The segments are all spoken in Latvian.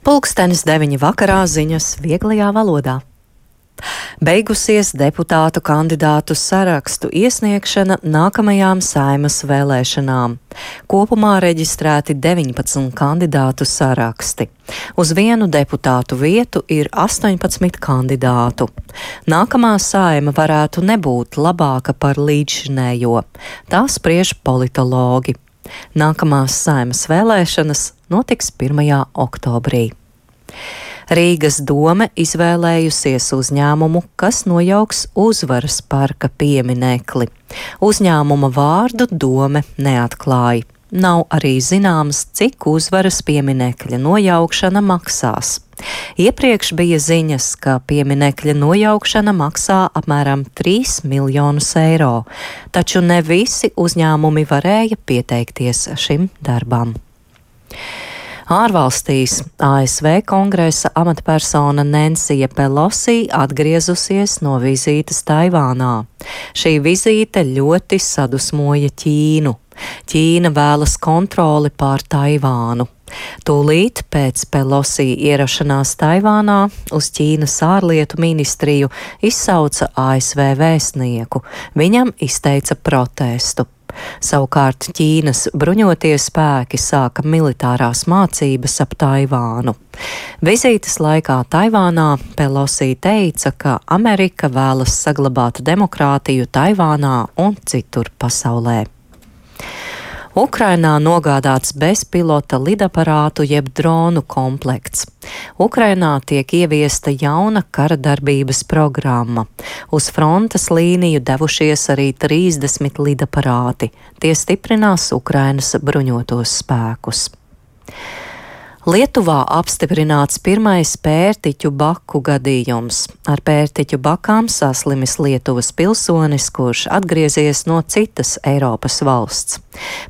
Pulkstenis 9 vakarā ziņas vieglajā valodā. Beigusies deputātu kandidātu sarakstu iesniegšana nākamajām Saeimas vēlēšanām. Kopumā reģistrēti 19 kandidātu saraksti. Uz vienu deputātu vietu ir 18 kandidātu. Nākamā Saeima varētu nebūt labāka par līdzšinējo. Tā spriež politologi. Nākamās Saeimas vēlēšanas notiks 1. oktobrī. Rīgas dome izvēlējusies uzņēmumu, kas nojauks Uzvaras parka pieminekli. Uzņēmuma vārdu dome neatklāja. Nav arī zināms, cik Uzvaras pieminekļa nojaukšana maksās. Iepriekš bija ziņas, ka pieminekļa nojaukšana maksā apmēram 3 miljonus eiro, taču ne visi uzņēmumi varēja pieteikties šim darbam. Ārvalstīs ASV kongresa amatpersona Nensija Pelosi atgriezusies no vizītes Taivānā. Šī vizīte ļoti sadusmoja Ķīnu. Ķīna vēlas kontroli pār Taivānu. Tūlīt pēc Pelosi ierašanās Taivānā uz Ķīnas ārlietu ministriju izsauca ASV vēstnieku. Viņam izteica protestu. Savukārt Ķīnas bruņotie spēki sāka militārās mācības ap Taivānu. Vizītes laikā Taivānā Pelosi teica, ka Amerika vēlas saglabāt demokrātiju Taivānā un citur pasaulē. Ukrainā nogādāts bezpilota lidaparātu jeb dronu komplekts. Ukrainā tiek ieviesta jauna kara darbības programma. Uz frontes līniju devušies arī 30 lidaparāti. Tie stiprinās Ukrainas bruņotos spēkus. Lietuvā apstiprināts pirmais pērtiķu baku gadījums. Ar pērtiķu bakām saslimis Lietuvas pilsonis, kurš atgriezies no citas Eiropas valsts.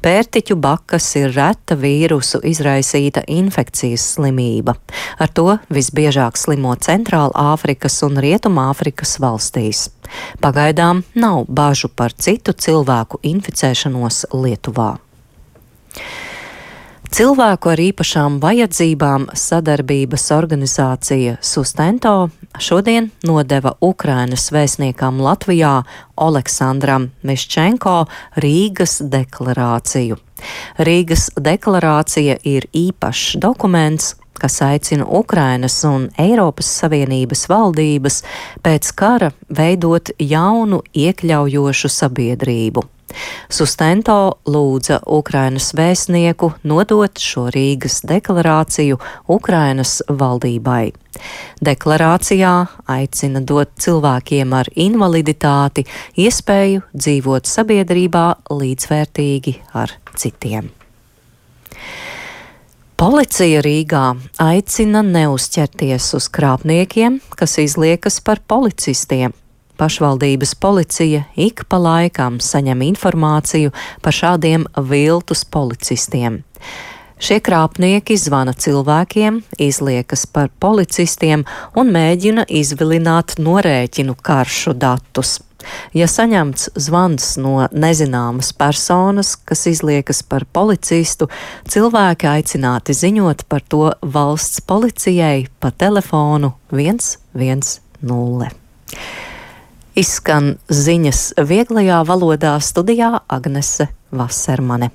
Pērtiķu bakas ir reta vīrusu izraisīta infekcijas slimība. Ar to visbiežāk slimo Centrāla Āfrikas un Rietumāfrikas valstīs. Pagaidām nav bažu par citu cilvēku inficēšanos Lietuvā. Cilvēku ar īpašām vajadzībām sadarbības organizācija Sustento šodien nodeva Ukrainas vēstniekam Latvijā Oleksandram Miščenko Rīgas deklarāciju. Rīgas deklarācija ir īpašs dokuments, kas aicina Ukrainas un Eiropas Savienības valdības pēc kara veidot jaunu iekļaujošu sabiedrību. Sustento lūdza Ukrainas vēstnieku nodot šo Rīgas deklarāciju Ukrainas valdībai. Deklarācijā aicina dot cilvēkiem ar invaliditāti iespēju dzīvot sabiedrībā līdzvērtīgi ar citiem. Policija Rīgā aicina neuzķerties uz krāpniekiem, kas izliekas par policistiem. Pašvaldības policija ik pa laikam saņem informāciju par šādiem viltus policistiem. Šie krāpnieki zvana cilvēkiem, izliekas par policistiem un mēģina izvilināt norēķinu karšu datus. Ja saņemts zvans no nezināmas personas, kas izliekas par policistu, cilvēki aicināti ziņot par to valsts policijai pa telefonu 110. Izskan ziņas vieglajā valodā, studijā Agnese Vasermane.